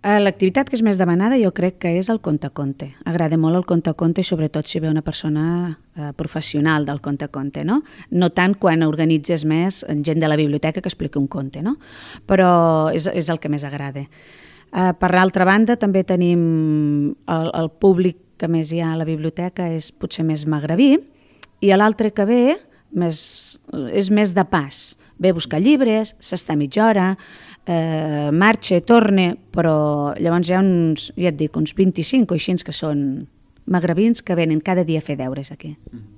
L'activitat que és més demanada jo crec que és el conte-conte. Agrada molt el conte-conte, sobretot si ve una persona professional del conte-conte, no? No tant quan organitzes més gent de la biblioteca que expliqui un conte, no? Però és el que més agrada. Per l'altra banda, també tenim el públic que més hi ha a la biblioteca és potser més magrebí, i l'altre que ve és més de pas. Ve a buscar llibres, s'està mitja hora, marxa, torna, però llavors hi ha uns 25 o així que són magrebins que venen cada dia a fer deures aquí.